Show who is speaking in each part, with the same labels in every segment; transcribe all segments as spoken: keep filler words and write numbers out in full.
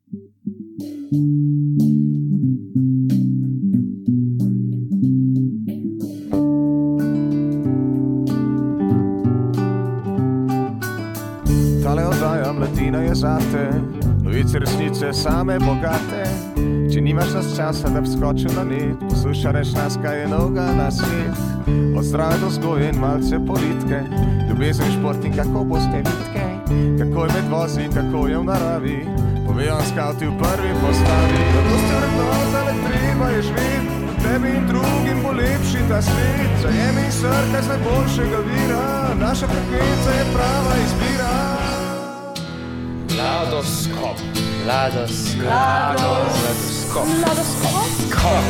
Speaker 1: Tale oddaja Mladina je zate, novice resnice same bogate. Če nimaš nas časa, da bi skočil na net, poslušaj reč nas, kaj je novega na svet. Od zdrave do vzgoje in malce politike, ljubezen, šport in kako boste vitke, kako je med vozi in kako je v naravi, povejo skauti v prvi postavi. Zato ste vrednota, le treba je živeti, tebi in drugim bo lepši ta svet. Zajemi srkaj z najboljšega vira, naša frekvenca je prava izbira.
Speaker 2: Mladoskop, mladoskop, mladoskop, mladoskop.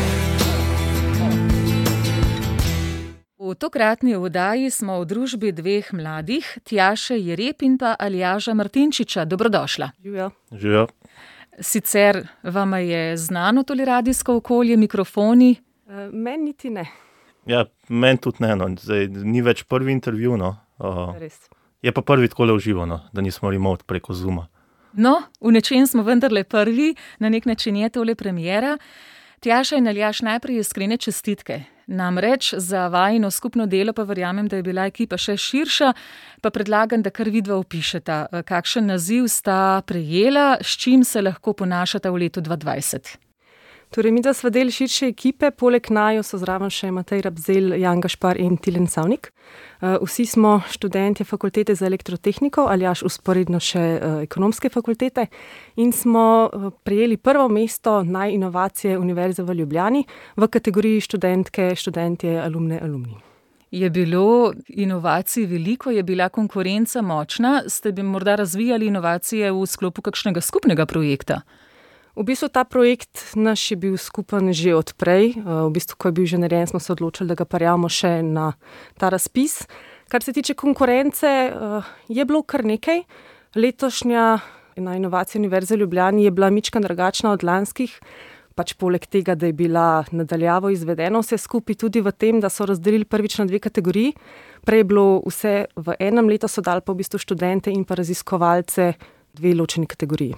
Speaker 3: V tokratni oddaji smo v družbi dveh mladih, Tjaše Jereb in pa Aljaža Martinčiča. Dobrodošla.
Speaker 4: Živijo.
Speaker 5: Živijo.
Speaker 3: Sicer vama je znano tole radijsko okolje, mikrofoni?
Speaker 4: Uh, meni niti ne.
Speaker 5: Ja, meni tudi ne, no. Zdaj, ni več prvi intervju, no. Uh,
Speaker 4: Res.
Speaker 5: Je pa prvi takole v živo, no, da nismo remote preko Zooma.
Speaker 3: No, v nečem smo vendarle prvi, na nek način je tole premiera. Tjaša in Aljaž, najprej iskrene čestitke. Namreč za vajino skupno delo pa verjamem, da je bila ekipa še širša, pa predlagam, da kar vidva opišeta, kakšen naziv sta prejela, s čim se lahko ponašata v letu dva dvajset.
Speaker 4: Torej, mi da sva del širše ekipe, poleg naju so zraven še Matej Rabzel, Jan Gašpar in Tilen Savnik. Uh, vsi smo študentje fakultete za elektrotehniko, Aljaž usporedno še uh, ekonomske fakultete in smo uh, prejeli prvo mesto naj inovacije Univerze v Ljubljani v kategoriji študentke, študentje, alumne, alumni.
Speaker 3: Je bilo inovacij veliko, je bila konkurenca močna, ste bi morda razvijali inovacije v sklopu kakšnega skupnega projekta?
Speaker 4: V bistvu ta projekt naš je bil skupen že od prej. V bistvu, ko je bil že narejen, smo se odločili, da ga parjamo še na ta razpis. Kar se tiče konkurence, je bilo kar nekaj. Letošnja na inovaciji Univerze v Ljubljani je bila mičkan drugačna od lanskih, pač poleg tega, da je bila nadaljavo izvedeno vse skupaj tudi v tem, da so razdelili prvič na dve kategoriji. Prej je bilo vse v enem letu, so dali pa v bistvu študente in pa raziskovalce dve ločeni kategoriji.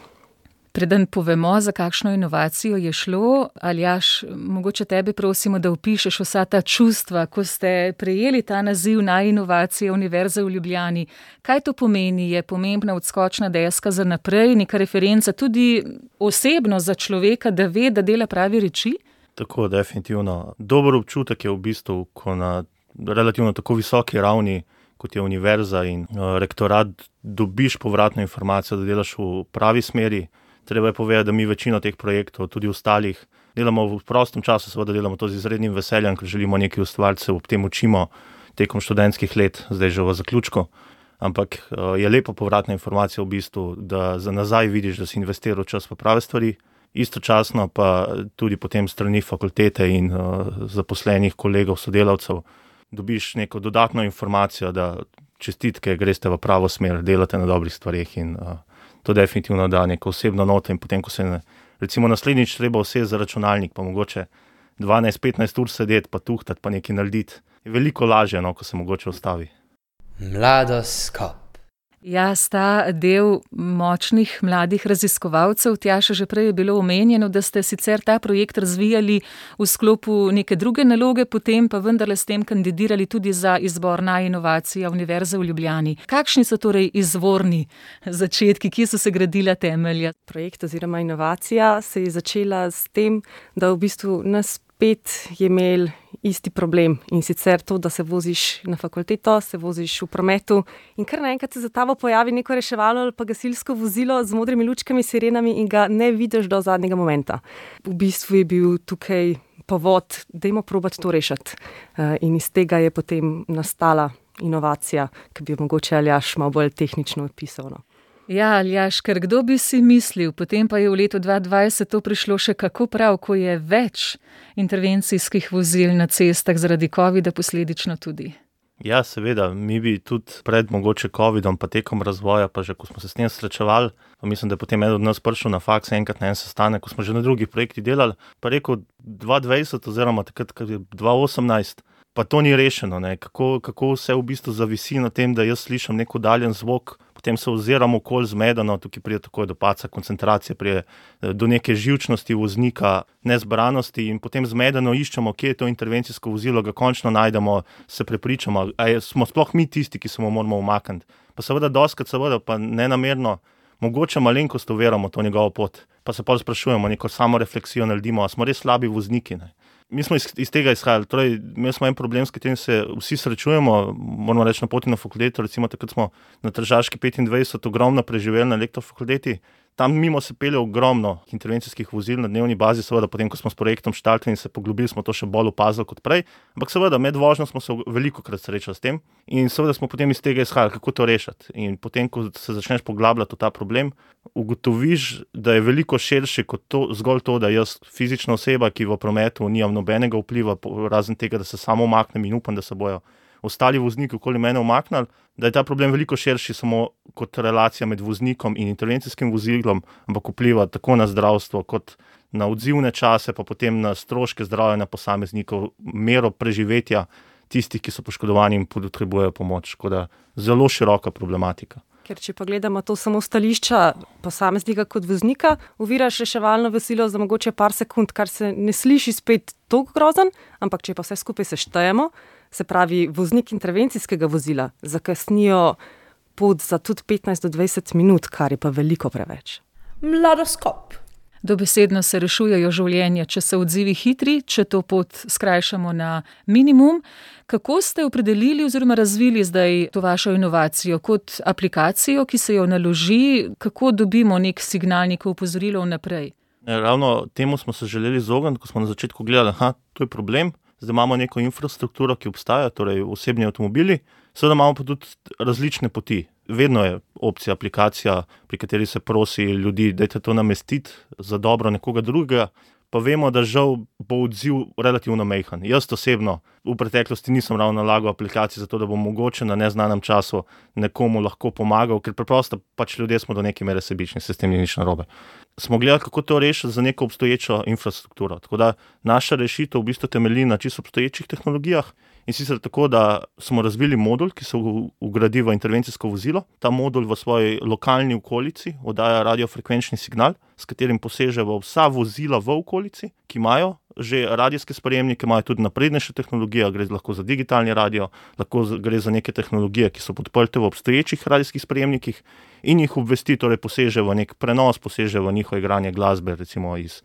Speaker 3: Preden povemo, za kakšno inovacijo je šlo, Aljaž, mogoče tebe prosimo, da opišeš vsa ta čustva, ko ste prejeli ta naziv naj inovacije Univerze v Ljubljani. Kaj to pomeni? Je pomembna odskočna deska za naprej, neka referenca tudi osebno za človeka, da ve, da dela pravi reči?
Speaker 5: Tako, definitivno. Dober občutek je v bistvu, ko na relativno tako visoki ravni, kot je univerza in uh, rektorat, dobiš povratno informacijo, da delaš v pravi smeri. Treba je povedati, da mi večino teh projektov, tudi ostalih, delamo v prostem času, seveda delamo to z izrednim veseljem, ker želimo nekaj ustvariti, se ob tem učimo tekom študentskih let, zdaj že v zaključku. Ampak je lepa povratna informacija v bistvu, da za nazaj vidiš, da si investiral čas v prave stvari, istočasno pa tudi potem strani fakultete in uh, zaposlenih kolegov, sodelavcev, dobiš neko dodatno informacijo, da čestitke, greste v pravo smer, delate na dobrih stvareh in uh, to definitivno da neko osebno noto in potem, ko se ne, recimo naslednjič treba vse za računalnik, pa mogoče dvanajst petnajst ur sedeti, pa tuhtati, pa nekaj narediti, je veliko lažje, no, ko se mogoče ustavi.
Speaker 2: Mladoskop.
Speaker 3: Ja, sta del močnih mladih raziskovalcev. Tjaša, že prej je bilo omenjeno, da ste sicer ta projekt razvijali v sklopu neke druge naloge, potem pa vendarle s tem kandidirali tudi za izbor naj inovacija Univerze v Ljubljani. Kakšni so torej izvorni začetki, kje so se gradila temelja?
Speaker 4: Projekt oziroma inovacija se je začela s tem, da v bistvu nas pet je imel isti problem in sicer to, da se voziš na fakulteto, se voziš v prometu in kar naenkrat se za tabo pojavi neko reševalno ali pa gasilsko vozilo z modrimi lučkami, sirenami in ga ne vidiš do zadnjega momenta. V bistvu je bil tukaj povod, dajmo probati to rešiti. In iz tega je potem nastala inovacija, ki bi jo mogoče Aljaž malo bolj tehnično opisal. No.
Speaker 3: Ja, Aljaž, ker kdo bi si mislil, potem pa je v letu dva dvajset to prišlo še kako prav, ko je več intervencijskih vozil na cestah zaradi covida posledično tudi.
Speaker 5: Ja, seveda, mi bi tudi pred mogoče covidom, pa tekom razvoja, pa že ko smo se s tem srečevali, pa mislim, da je potem eden od nas prišel na faks enkrat na en sestanek, ko smo že na drugih projektih delali, pa rekel dva dvajset oziroma takrat, kad je dva osemnajst, pa to ni rešeno, ne? Kako, kako vse v bistvu zavisi na tem, da jaz slišim nek oddaljen zvok, potem se oziramo okolj zmedeno, tukaj pride takoj do padca koncentracije, pride do neke živčnosti voznika, nezbranosti in potem zmedeno iščemo, kje je to intervencijsko vozilo, ga končno najdemo, se prepričamo, ali smo sploh mi tisti, ki se mu moramo umakniti. Pa seveda doskrat, seveda pa nenamerno, mogoče malenkost uveramo to njegovo pot, pa se pa sprašujemo, neko samorefleksijo naredimo, a smo res slabi vozniki, ne. Mi smo iz, iz tega izhajali, torej imeli smo en problem, s katerim se vsi srečujemo, moramo reči na poti na fakulteto, recimo takrat smo na Tržaški petindvajset ogromno preživeli na elektrofakulteti, tam mimo se pelje ogromno intervencijskih vozil na dnevni bazi, seveda potem, ko smo s projektom štartali in se poglobili, smo to še bolj opazili kot prej, ampak seveda med vožnjo smo se veliko krat srečali s tem in seveda smo potem iz tega izhajali, kako to rešiti. In potem, ko se začneš poglabljati v ta problem, ugotoviš, da je veliko širši kot to, zgolj to, da jaz fizična oseba, ki v prometu nimam nobenega vpliva, razen tega, da se samo umaknem in upam, da se bojo ostali vozniki okoli mene umaknili, da je ta problem veliko širši samo kot relacija med voznikom in intervencijskim vozilom, ampak vpliva tako na zdravstvo, kot na odzivne čase, pa potem na stroške zdravja posameznikov, mero preživetja tistih, ki so poškodovani in potrebujejo pomoč. Tako da zelo široka problematika.
Speaker 4: Ker če pa gledamo to samo stališča posameznika kot voznika, oviraš reševalno vozilo za mogoče par sekund, kar se ne sliši spet toliko grozen, ampak če pa vse skupaj seštejemo, se pravi voznik intervencijskega vozila zakasnijo pot za tudi petnajst do dvajset minut, kar je pa veliko preveč.
Speaker 6: Mladoskop.
Speaker 3: Dobesedno se rešujejo življenja, če so odzivi hitri, če to pot skrajšamo na minimum. Kako ste opredelili oziroma razvili zdaj to vašo inovacijo kot aplikacijo, ki se jo naloži, kako dobimo nek signal, neko opozorilo vnaprej?
Speaker 5: Ravno temu smo se želeli izogniti, ko smo na začetku gledali, aha, to je problem. Zdaj imamo neko infrastrukturo, ki obstaja, torej osebni avtomobili, seveda imamo pa tudi različne poti. Vedno je opcija aplikacija, pri kateri se prosi ljudi, dajte to namestiti za dobro nekoga drugega, pa vemo, da žal bo odziv relativno majhen. Jaz osebno v preteklosti nisem ravno nalagal aplikacij za to, da bom mogoče na neznanem času nekomu lahko pomagal, ker preprosto pač ljudje smo do neke mere sebični, se s tem ni nič narobe. Smo gledali, kako to rešiti za neko obstoječo infrastrukturo. Tako da naša rešitev v bistvu temelji na čisto obstoječih tehnologijah in sicer tako, da smo razvili modul, ki se vgradi v intervencijsko vozilo. Ta modul v svoji lokalni okolici oddaja radiofrekvenčni signal, s katerim poseže v vsa vozila v okolici, ki imajo že radijske sprejemnike, imajo tudi naprednejše tehnologije, gre lahko za digitalni radio, lahko gre za neke tehnologije, ki so podprte v obstoječih radijskih sprejemnikih in jih obvesti, torej poseže v nek prenos, poseže v njihovo igranje glasbe, recimo iz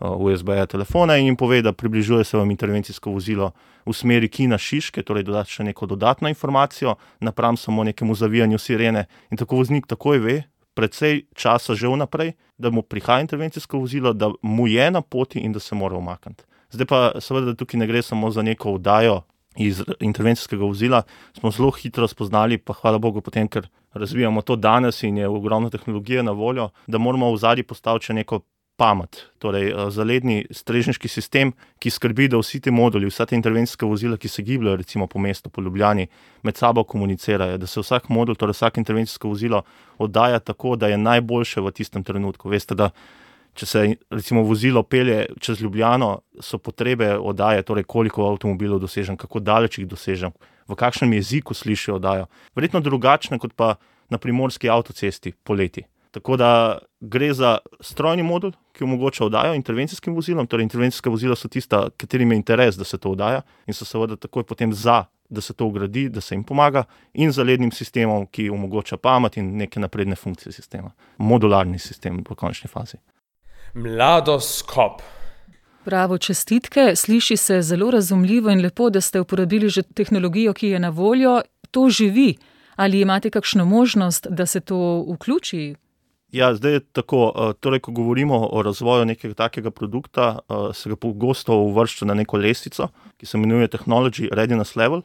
Speaker 5: uh, U S B-ja telefona in jim pove, da približuje se vam intervencijsko vozilo v smeri Kina Šiške, torej dodati še neko dodatno informacijo, napram samo nekemu zavijanju sirene in tako voznik takoj ve, precej časa že vnaprej, da mu prihaja intervencijsko vozilo, da mu je na poti in da se mora umakniti. Zdaj pa seveda tukaj ne gre samo za neko oddajo iz intervencijskega vozila, smo zelo hitro spoznali, pa hvala Bogu potem, ker razvijamo to danes in je ogromno tehnologije na voljo, da moramo v zadnji postaviti še neko pamet, torej zaledni strežniški sistem, ki skrbi, da vsi ti moduli, vsa te intervencijske vozila, ki se gibljajo recimo po mestu, po Ljubljani, med sabo komunicirajo, da se vsak modul, torej vsak intervencijsko vozilo oddaja tako, da je najboljše v tistem trenutku. Veste, da če se recimo vozilo pelje čez Ljubljano, so potrebe oddaje, torej koliko avtomobilov dosežem, kako daleč jih dosežem, v kakšnem jeziku slišijo oddajo. Verjetno drugačne kot pa na primorski avtocesti poleti. Tako da gre za strojni modul, ki omogoča oddajo intervencijskim vozilom, torej intervencijska vozila so tista, katerim je interes, da se to oddaja in so seveda takoj potem za, da se to vgradi, da se jim pomaga in zalednim sistemom, ki omogoča pamet in neke napredne funkcije sistema. Modularni sistem v končni fazi.
Speaker 6: Mladoskop.
Speaker 3: Bravo, čestitke. Sliši se zelo razumljivo in lepo, da ste uporabili že tehnologijo, ki je na voljo. To živi. Ali imate kakšno možnost, da se to vključi?
Speaker 5: Ja, zdaj je tako, torej, ko govorimo o razvoju nekega takega produkta, se ga pogosto uvršča na neko lestvico, ki se imenuje Technology Readiness Level.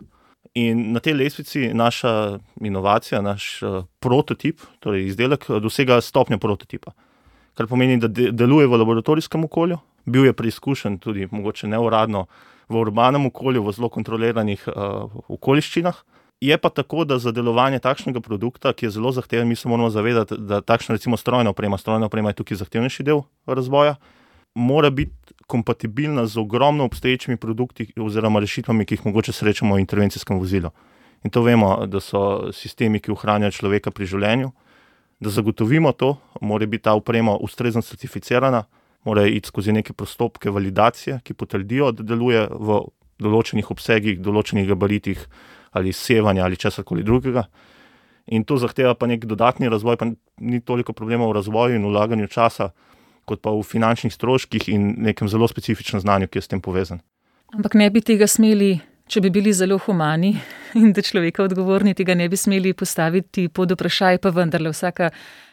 Speaker 5: In na tej lestvici naša inovacija, naš prototip, torej izdelek, dosega stopnjo prototipa. Kar pomeni, da deluje v laboratorijskem okolju, bil je preizkušen tudi mogoče neuradno v urbanem okolju, v zelo kontroliranih uh, okoliščinah. Je pa tako, da za delovanje takšnega produkta, ki je zelo zahteven, mi se moramo zavedati, da takšna recimo strojna oprema, strojna oprema je tukaj zahtevnejši del razvoja, mora biti kompatibilna z ogromno obstoječimi produkti oziroma rešitvami, ki jih mogoče srečamo v intervencijskem vozilu. In to vemo, da so sistemi, ki ohranjajo človeka pri življenju. Da zagotovimo to, mora biti ta oprema ustrezno certificirana, mora iti skozi neke postopke validacije, ki potrdijo, da deluje v določenih obsegih, določenih gabaritih ali sevanja ali česarkoli drugega. In to zahteva pa nek dodatni razvoj, pa ni toliko problema v razvoju in vlaganju časa, kot pa v finančnih stroških in nekem zelo specifičnem znanju, ki je s tem povezan.
Speaker 3: Ampak ne bi tega smeli, če bi bili zelo humani in da človeka odgovorni, tega ne bi smeli postaviti pod vprašaj, pa vendarle vsaka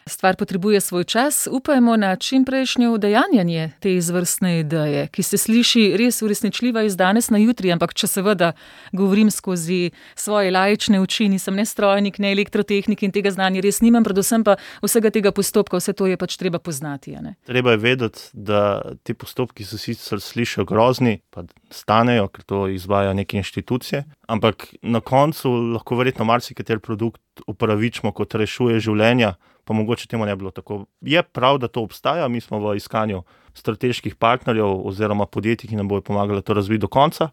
Speaker 3: stvar potrebuje svoj čas. Upajmo na čimprejšnje udejanjanje te izvrstne ideje, ki se sliši res uresničljiva iz danes na jutri, ampak če seveda govorim skozi svoje laične oči, nisem ne strojnik, ne elektrotehnik in tega znanja res nimam, predvsem pa vsega tega postopka, vse to je pač treba poznati. Ne?
Speaker 5: Treba je vedeti, da ti postopki se sicer slišijo grozni, pa stanejo, ker to izvaja neke inštitucije, ampak na koncu lahko verjetno marsikateri produkt upravičimo kot rešuje življenja, pa mogoče temu ne bilo tako. Je prav, da to obstaja, mi smo v iskanju strateških partnerjev oziroma podjetij, ki nam bojo pomagali to razviti do konca.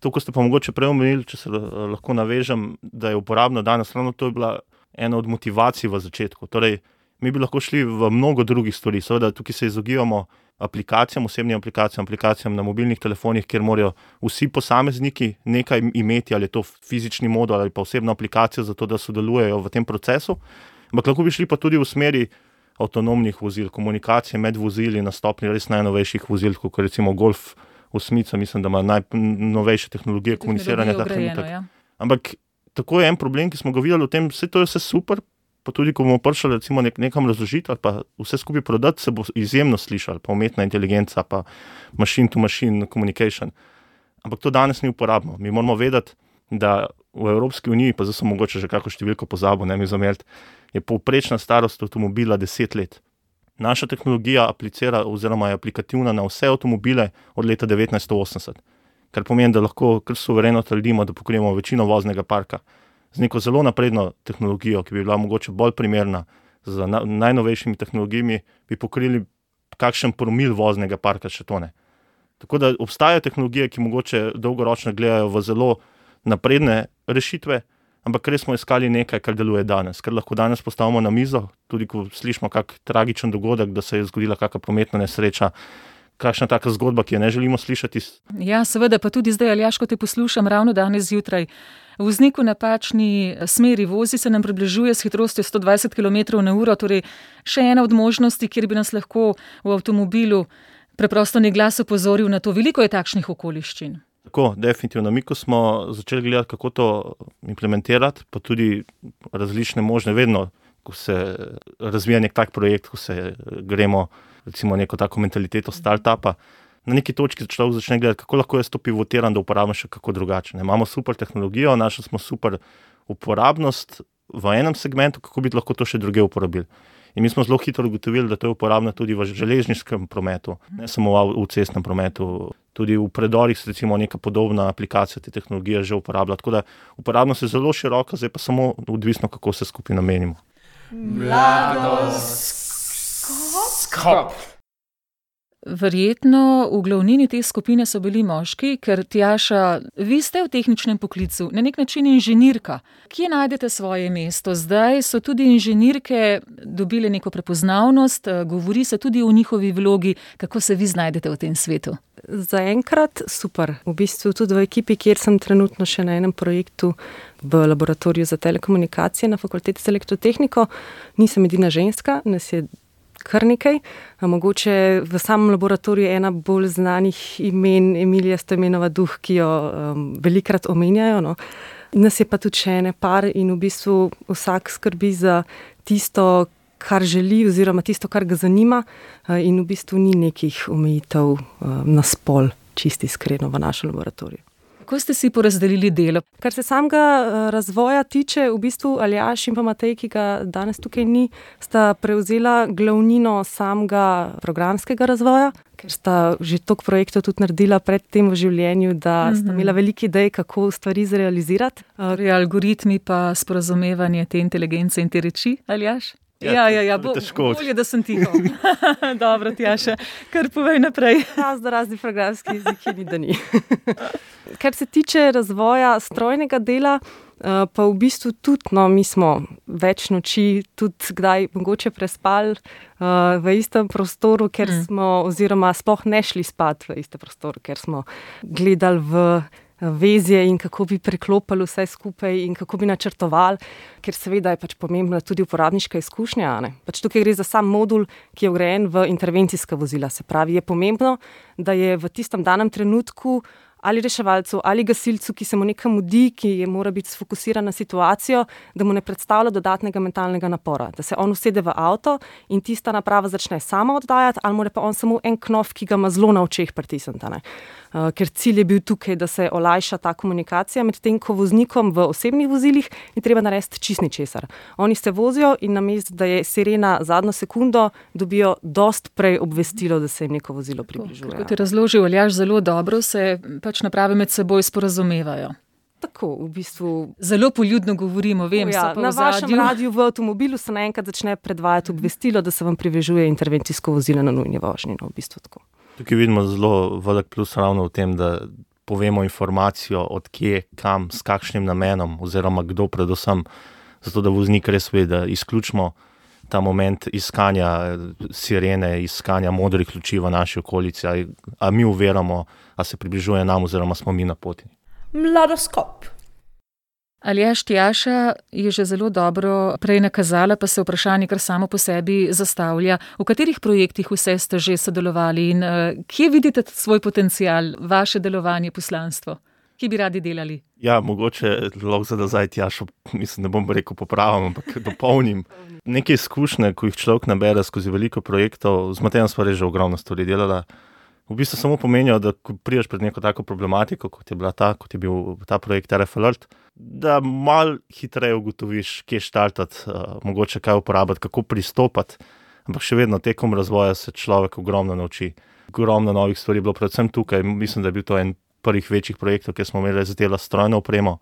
Speaker 5: To, ko ste pa mogoče prej omenili, če se lahko navežem, da je uporabno danes, ravno to je bila ena od motivacij v začetku. Torej, mi bi lahko šli v mnogo drugih stvari. Seveda, tukaj se izogibamo aplikacijam, osebnim aplikacijam, aplikacijam na mobilnih telefonih, kjer morajo vsi posamezniki nekaj imeti, ali je to fizični modul ali pa osebna aplikacija, zato da sodelujejo v tem procesu. Ampak lahko bi šli pa tudi v smeri avtonomnih vozil, komunikacije med vozili na stopni res najnovejših vozil, kot recimo Golf osmica, mislim, da ima najnovejše tehnologije komuniciranja.
Speaker 3: Ja.
Speaker 5: Ampak tako je en problem, ki smo ga videli v tem, vse to je vse super, pa tudi ko bomo prišli recimo nek, nekam razložiti ali pa vse skupaj prodati, se bo izjemno slišal, pa umetna inteligenca, pa machine to machine communication. Ampak to danes ni uporabno. Mi moramo vedeti, da v Evropski uniji, pa zdaj sem mogoče že kako številko pozabil, ne mi zameriti, je povprečna starost avtomobila deset let. Naša tehnologija aplicira oziroma je aplikativna na vse avtomobile od leta devetnajststo osemdeset, kar pomeni, da lahko kar suvereno trdimo, da pokrijemo večino voznega parka. Z neko zelo napredno tehnologijo, ki bi bila mogoče bolj primerna z na, najnovejšimi tehnologijami, bi pokrili kakšen promil voznega parka, še to ne. Tako da obstajajo tehnologije, ki mogoče dolgoročno gledajo v zelo napredne rešitve, ampak res smo iskali nekaj, kar deluje danes, kar lahko danes postavimo na mizo, tudi ko slišimo kak tragičen dogodek, da se je zgodila kakšna prometna nesreča, kakšna taka zgodba, ki jo ne želimo slišati.
Speaker 3: Ja, seveda, pa tudi zdaj, Aljaž, ko te poslušam ravno danes zjutraj, voznik v napačni smeri vozi, se nam približuje s hitrostjo sto dvajset kilometrov na uro, torej še ena od možnosti, kjer bi nas lahko v avtomobilu preprosto nek glas opozoril na to. Veliko je takšnih okoliščin.
Speaker 5: Tako, definitivno. Mi, ko smo začeli gledati, kako to implementirati, pa tudi različne možne, vedno, ko se razvija nek tak projekt, ko se gremo recimo neko tako mentaliteto startupa, na neki točki človek začne gledati, kako lahko jaz to pivotiram, da uporabim še kako drugače. Ne, imamo super tehnologijo, našli smo super uporabnost v enem segmentu, kako bi lahko to še druge uporabili. In mi smo zelo hitro ugotovili, da to je uporabno tudi v železniškem prometu, ne samo v cestnem prometu, tudi v predorih se recimo neka podobna aplikacija te tehnologije že uporablja. Tako da uporabnost je zelo široka, zdaj pa samo odvisno, kako se skupaj namenimo.
Speaker 2: Mladoskop.
Speaker 3: Verjetno v glavnini te skupine so bili moški, ker Tjaša, vi ste v tehničnem poklicu, na nek način inženirka. Kje najdete svoje mesto? Zdaj so tudi inženirke dobile neko prepoznavnost, govori se tudi o njihovi vlogi. Kako se vi znajdete v tem svetu?
Speaker 4: Zaenkrat super. V bistvu tudi v ekipi, kjer sem trenutno še na enem projektu v laboratoriju za telekomunikacije na Fakulteti za elektrotehniko, nisem edina ženska, nas je kar nekaj. Mogoče v samem laboratoriju ena bolj znanih imen Emilija Stojmenova Duh, ki jo um, velikrat omenjajo. No. Nas je pa tudi še ene par in v bistvu vsak skrbi za tisto, kar želi oziroma tisto, kar ga zanima in v bistvu ni nekih omejitev na spol, čisti iskreno v našem laboratoriju.
Speaker 3: Kako ste si porazdelili delo?
Speaker 4: Kar se samega razvoja tiče, v bistvu Aljaž in pa Matej, ki ga danes tukaj ni, sta prevzela glavnino samega programskega razvoja, ker sta že toliko projektov tudi naredila pred tem v življenju, da mm-hmm. sta imela velike ideje, kako stvari zrealizirati.
Speaker 3: Torej, algoritmi pa sporazumevanje te inteligence in te reči, Aljaž? Ja, ja, ja, bo,
Speaker 5: težko.
Speaker 3: Bolje, da sem tiho. Dobro, Tjaša, kar povej naprej.
Speaker 4: Razno razni programski jeziki ni, da ni. Kar se tiče razvoja strojnega dela, pa v bistvu tudi, no, mi smo več noči, tudi kdaj mogoče prespali v istem prostoru, ker mm. smo, oziroma sploh ne šli spat v istem prostoru, ker smo gledali v vezje in kako bi preklopili vse skupaj in kako bi načrtovali, ker seveda je pač pomembna tudi uporabniška izkušnja. Ne? Pač tukaj gre za sam modul, ki je vgrajen v intervencijska vozila. Se pravi, je pomembno, da je v tistem danem trenutku ali reševalcu, ali gasilcu, ki se mu nekam mudi, ki je mora biti sfokusiran na situacijo, da mu ne predstavlja dodatnega mentalnega napora. Da se on usede v avto in tista naprava začne sama oddajati, ali mora pa on samo en knof, ki ga ima zelo na očeh pritisniti. Uh, ker cilj je bil tukaj, da se olajša ta komunikacija med tem, ko voznikom v osebnih vozilih je treba narediti čist ničesar. Oni se vozijo in namesto, da je sirena zadnjo sekundo, dobijo dost prej obvestilo, da se jim neko vozilo približuje.
Speaker 3: Kot je razložil Aljaž zelo dobro, se pač naprave med seboj sporazumevajo.
Speaker 4: Tako, v bistvu.
Speaker 3: Zelo poljudno govorimo, vem,
Speaker 4: ja,
Speaker 3: so pa
Speaker 4: na
Speaker 3: v zadju.
Speaker 4: vašem radiju v avtomobilu se naenkrat začne predvajati obvestilo, da se vam približuje intervencijsko vozilo na nujni vožnji. No, v bistvu tako.
Speaker 5: Tukaj vidimo zelo velik plus ravno v tem, da povemo informacijo od kje, kam, s kakšnim namenom oziroma kdo predvsem, zato da voznik res ve, da izključimo ta moment iskanja sirene, iskanja modrih luči v naši okolici, a, a mi uveramo, a se približuje nam oziroma smo mi na poti.
Speaker 2: Mladoskop.
Speaker 3: Aljaž, Tjaša je že zelo dobro prej nakazala, pa se vprašanje kar samo po sebi zastavlja. V katerih projektih vse ste že sodelovali in uh, kje vidite svoj potencial, vaše delovanje, poslanstvo? Kje bi radi delali?
Speaker 5: Ja, mogoče lahko za nazaj Tjašo, mislim, ne bom rekel popravim, ampak dopolnim. Neke izkušnje, ko jih človek nabere skozi veliko projektov, z Matejem sva res že ogromno stvari delala, v bistvu samo pomenijo, da ko prideš pred neko tako problematiko, kot je bila ta, kot je bil ta projekt R F Alert, da malo hitreje ugotoviš, kje štartati, uh, mogoče kaj uporabiti, kako pristopati, ampak še vedno tekom razvoja se človek ogromno nauči. Ogromno novih stvari je bilo, predvsem tukaj, mislim, da je bil to en prvih večjih projektov, kjer smo imeli zadela strojno opremo,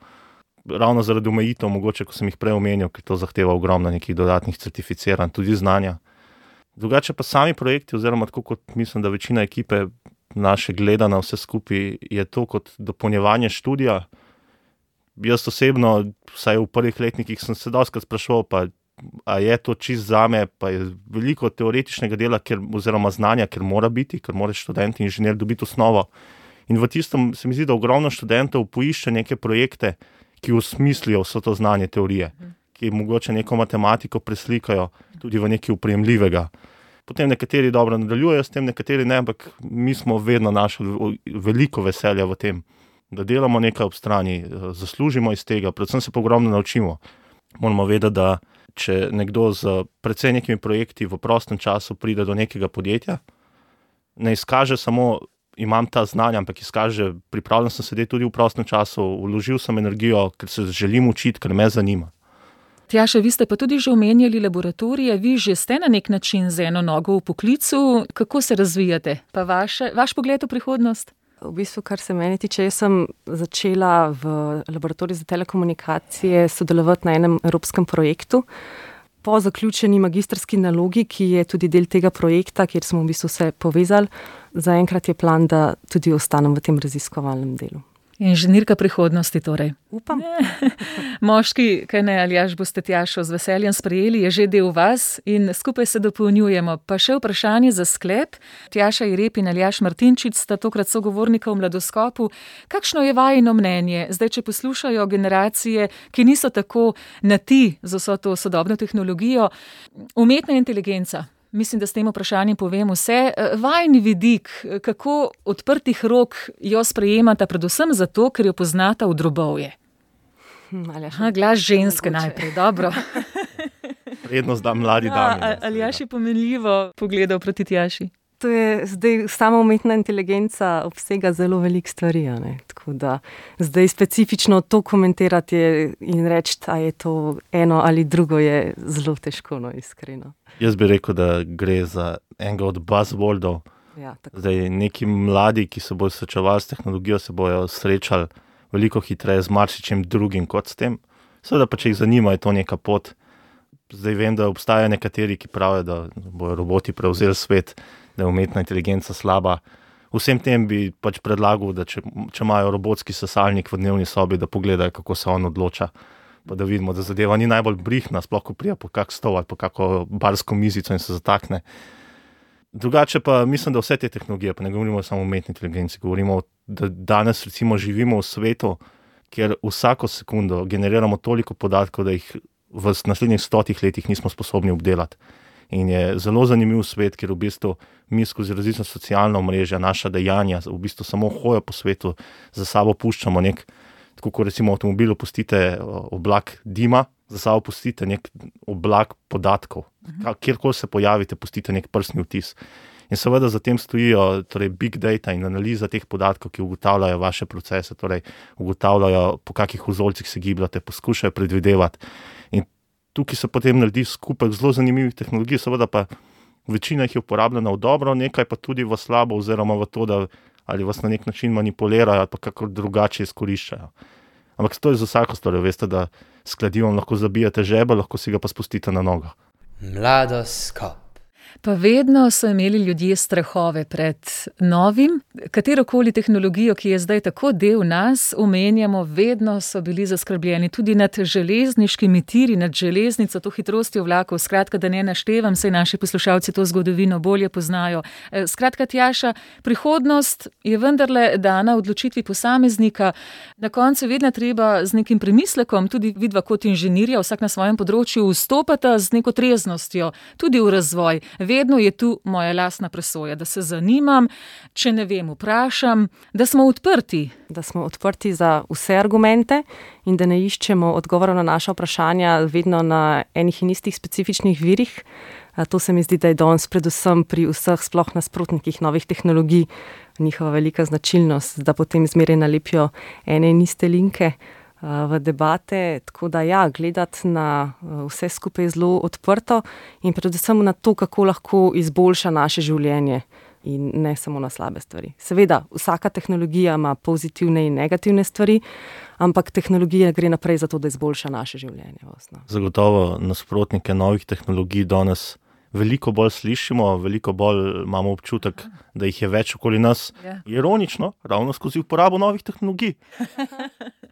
Speaker 5: ravno zaradi omejitev, mogoče, ko sem jih prej omenil, ker to zahteva ogromno nekih dodatnih certificiranj, tudi znanja. Drugače pa sami projekti, oziroma tako kot mislim, da večina ekipe naše gleda na vse skupaj, je to kot dopolnjevanje študija. Jaz osebno, vsaj v prvih letnikih, sem se dostikrat spraševal, pa a je to čist zame, pa je veliko teoretičnega dela, ker, oziroma znanja, ker mora biti, ker mora študent in inženir dobiti osnovo. In v tistem se mi zdi, da ogromno študentov poišče neke projekte, ki osmislijo vso to znanje teorije, ki mogoče neko matematiko preslikajo tudi v nekaj uprejemljivega. Potem nekateri dobro nadaljujejo s tem, nekateri ne, ampak mi smo vedno našli veliko veselja v tem, da delamo nekaj ob strani, zaslužimo iz tega, predvsem se pa ogromno naučimo. Moramo vedeti, da če nekdo z precej nekimi projekti v prostem času pride do nekega podjetja, ne izkaže samo, imam ta znanja, ampak izkaže, pripravljen sem sedeti tudi v prostem času, vložil sem energijo, ker se želim učiti, ker me zanima.
Speaker 3: Tjaša, vi ste pa tudi že omenjali laboratorije, vi že ste na nek način z eno nogo v poklicu. Kako se razvijate? Pa vaše, vaš pogled v prihodnost?
Speaker 4: V bistvu, kar se meni tiče, jaz sem začela v laboratoriju za telekomunikacije sodelovati na enem evropskem projektu. Po zaključeni magistrski nalogi, ki je tudi del tega projekta, kjer smo v bistvu vse povezali, zaenkrat je plan, da tudi ostanem v tem raziskovalnem delu.
Speaker 3: Inženirka prihodnosti torej.
Speaker 4: Upam.
Speaker 3: Moški, kaj ne, Aljaž, boste Tjašo z veseljem sprejeli, je že del vas in skupaj se dopolnjujemo. Pa še vprašanje za sklep. Tjaša Jereb in Aljaž Martinčič sta tokrat sogovornika v Mladoskopu. Kakšno je vajino mnenje? Zdaj, če poslušajo generacije, ki niso tako na ti z vso to sodobno tehnologijo, umetna inteligenca. Mislim, da s tem vprašanjem povem vse. Vajni vidik, kako odprtih rok jo sprejemata, predvsem zato, ker jo poznata v drobovje. Aha, glas ženske najprej, dobro.
Speaker 5: Prednost da mladi dami.
Speaker 3: Aljaž je pomenljivo pogledal proti Tjaši.
Speaker 4: To je zdaj sama umetna inteligenca obsega zelo veliko stvari, ne? Tako da zdaj specifično to komentirati in reči, da je to eno ali drugo, je zelo težko, no, iskreno.
Speaker 5: Jaz bi rekel, da gre za enega od buzzwordov.
Speaker 4: Ja,
Speaker 5: zdaj neki mladi, ki se bojo srečevali s tehnologijo, se bojo srečali veliko hitreje z marsičem drugim kot s tem. Seveda pa, če jih zanima, je to neka pot. Zdaj vem, da obstajajo nekateri, ki pravijo, da bojo roboti prevzeli svet, da je umetna inteligenca slaba. Vsem tem bi pač predlagal, da če, če imajo robotski sesalnik v dnevni sobi, da pogledajo, kako se on odloča. Pa da vidimo, da zadeva ni najbolj brihna, sploh ko prija po kak stol ali po kako barsko mizico in se zatakne. Drugače pa mislim, da vse te tehnologije, pa ne govorimo samo o umetni inteligenci, govorimo, da danes recimo živimo v svetu, kjer vsako sekundo generiramo toliko podatkov, da jih v naslednjih stotih letih nismo sposobni obdelati. In je zelo zanimiv svet, kjer v bistvu mi skozi različna socialna omrežja, naša dejanja, v bistvu samo hojo po svetu, za sabo puščamo nek, tako kot recimo v avtomobilu pustite oblak dima, za sabo pustite nek oblak podatkov. Kjerkoli se pojavite, pustite nek prstni vtis. In seveda za tem stojijo torej big data in analiza teh podatkov, ki ugotavljajo vaše procese, torej ugotavljajo, po kakih vzorcih se gibljate, poskušajo predvidevati. In tukaj se potem naredi skupek zelo zanimivih tehnologij, seveda pa večina jih je uporabljena v dobro, nekaj pa tudi v slabo, oziroma v to, da ali vas na nek način manipulirajo, ali pa kako drugače izkoriščajo. Ampak to je za vsako stvar, veste, da s kladivom lahko zabijate žebelj, lahko si ga pa spustite na nogo.
Speaker 2: Mladoskop.
Speaker 3: Pa vedno so imeli ljudje strahove pred novim. Katerokoli tehnologijo, ki je zdaj tako del nas, omenjamo, vedno so bili zaskrbljeni tudi nad železniškimi tiri, nad železnico, to hitrostjo vlakov. Skratka, da ne naštevam, saj naši poslušalci to zgodovino bolje poznajo. Skratka, Tjaša, prihodnost je vendarle dana odločitvi posameznika. Na koncu vedno treba z nekim premislekom, tudi vidva kot inženirja, vsak na svojem področju, vstopata z neko treznostjo, tudi v razvoj. Vedno je tu moja lastna presoja, da se zanimam, če ne vem, vprašam, da smo odprti.
Speaker 4: Da smo odprti za vse argumente in da ne iščemo odgovorov na naša vprašanja vedno na enih in istih specifičnih virih. To se mi zdi, da je danes predvsem pri vseh sploh nasprotnikih novih tehnologij njihova velika značilnost, da potem zmeraj nalepijo ene in iste linke v debate, tako da ja, gledati na vse skupaj zelo odprto in predvsem na to, kako lahko izboljša naše življenje in ne samo na slabe stvari. Seveda, vsaka tehnologija ima pozitivne in negativne stvari, ampak tehnologija gre naprej zato, da izboljša naše življenje.
Speaker 5: Zagotovo nasprotnike novih tehnologij danes veliko bolj slišimo, veliko bolj imamo občutek, da jih je več okoli nas. Ja. Ironično, ravno skozi uporabo novih tehnologij.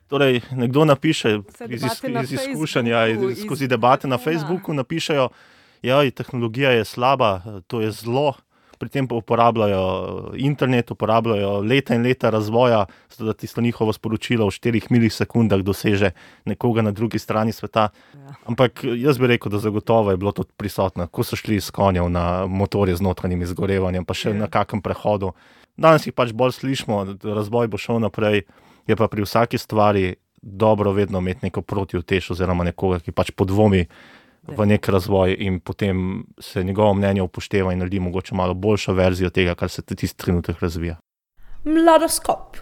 Speaker 5: Torej, nekdo napiše iz, iz izkušanja, iz, skozi debate na Facebooku napišejo, ja, tehnologija je slaba, to je zlo, pri tem pa uporabljajo internet, uporabljajo leta in leta razvoja, zato da tisto njihovo sporočilo v štirih milisekundah doseže nekoga na drugi strani sveta. Ja. Ampak jaz bi rekel, da zagotovo je bilo to prisotno, ko so šli s konjev na motorje z notranjim izgorevanjem, pa še ja. Na kakem prehodu. Danes jih pač bolj slišimo, razvoj bo šel naprej, je pa pri vsaki stvari dobro vedno imeti neko protiutež oziroma nekoga, ki pač podvomi v nek razvoj in potem se njegovo mnenje upošteva in naredi mogoče malo boljšo verzijo tega, kar se tisti trenutek razvija.
Speaker 2: Mladoskop.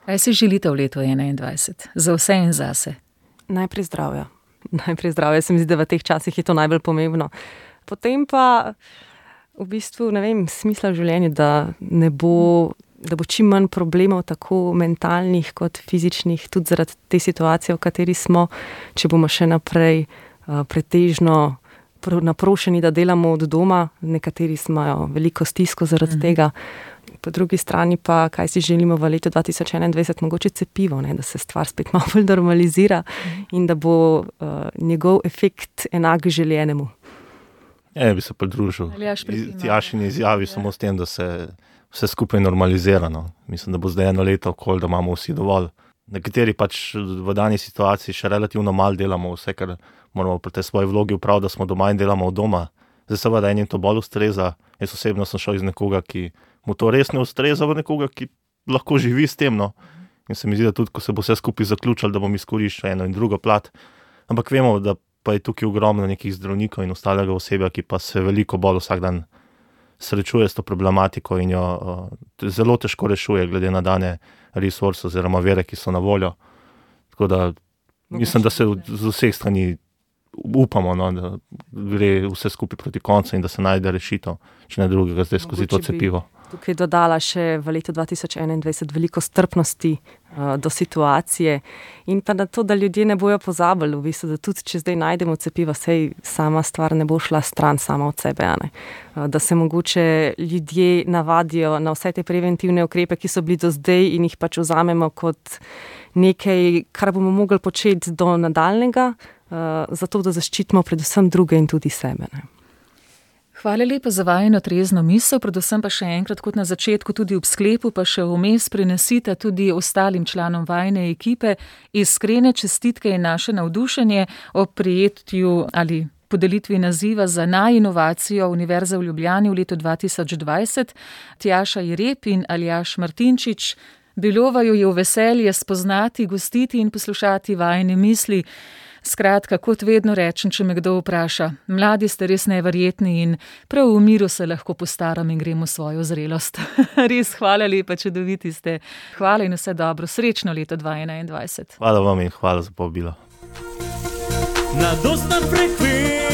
Speaker 3: Kaj si želite v letu enaindvajset? Za vse in zase?
Speaker 4: Najprej zdravja. Najprej zdravja, se mi zdi, da v teh časih je to najbolj pomembno. Potem pa v bistvu, ne vem, smisla v življenju, da ne bo, da bo čim manj problemov, tako mentalnih kot fizičnih, tudi zaradi te situacije, v kateri smo, če bomo še naprej pretežno naprošeni, da delamo od doma, nekateri imajo veliko stisko zaradi mm. tega. Po drugi strani pa, kaj si želimo v letu dva tisoč enaindvajset, mogoče cepivo, ne, da se stvar spet malo bolj normalizira mm. in da bo uh, njegov efekt enak željenemu.
Speaker 5: Ja, bi se pridružil Tjašini izjavi ja. Samo s tem, da se vse skupaj normalizira. No. Mislim, da bo zdaj eno leto okoli, da imamo vsi dovolj. Nekateri pač v dani situaciji še relativno malo delamo vse, kar moramo pri tej svoji vlogi upraviti, da smo doma in delamo od doma. Zdaj seveda enim to bolj ustreza. Jaz osebno sem šel iz nekoga, ki mu to res ne ustreza, v nekoga, ki lahko živi s tem. No. In se mi zdi, da tudi, ko se bo vse skupaj zaključalo, da bom izkoriščal eno in drugo plat. Ampak vemo, da pa je tukaj ogromno nekih zdravnikov in ostalega osebja, ki pa se veliko bolj vsak dan srečuje s to problematiko in jo uh, zelo težko rešuje, glede na dane resurse oziroma vere, ki so na voljo. Tako da mislim, da se z vseh strani upamo, no, da gre vse skupaj proti koncu in da se najde rešitev, če ne drugega zdaj skozi to cepivo.
Speaker 4: Tukaj dodala še v letu dva tisoč enaindvajset veliko strpnosti uh, do situacije in pa na to, da ljudje ne bojo pozabili, v bistvu, da tudi če zdaj najdemo cepiva, sej sama stvar ne bo šla stran sama od sebe, a ne. Uh, da se mogoče ljudje navadijo na vse te preventivne ukrepe, ki so bili do zdaj in jih pač vzamemo kot nekaj, kar bomo mogli početi do nadaljnega, uh, zato da zaščitimo predvsem druge in tudi sebe, ne.
Speaker 3: Hvala lepa za vajino trezno misel, predvsem pa še enkrat kot na začetku, tudi ob sklepu, pa še vmes prenesite tudi ostalim članom vajine ekipe iskrene čestitke in naše navdušenje ob prijetju ali podelitvi naziva za najinovacijo Univerze v Ljubljani v letu dva tisoč dvajset. Tjaša Jereb in Aljaž Martinčič, bilo vaju je v veselje spoznati, gostiti in poslušati vajine misli. Skratka, kot vedno rečem, če me kdo vpraša, mladi ste res neverjetni in prav v miru se lahko postaram in gremo svojo zrelost. Res hvala lepa, čudoviti ste. Hvala in vse dobro, srečno leto dva tisoč enaindvajset.
Speaker 5: Hvala vam in hvala za povabilo.
Speaker 6: Na dostna frekvenca.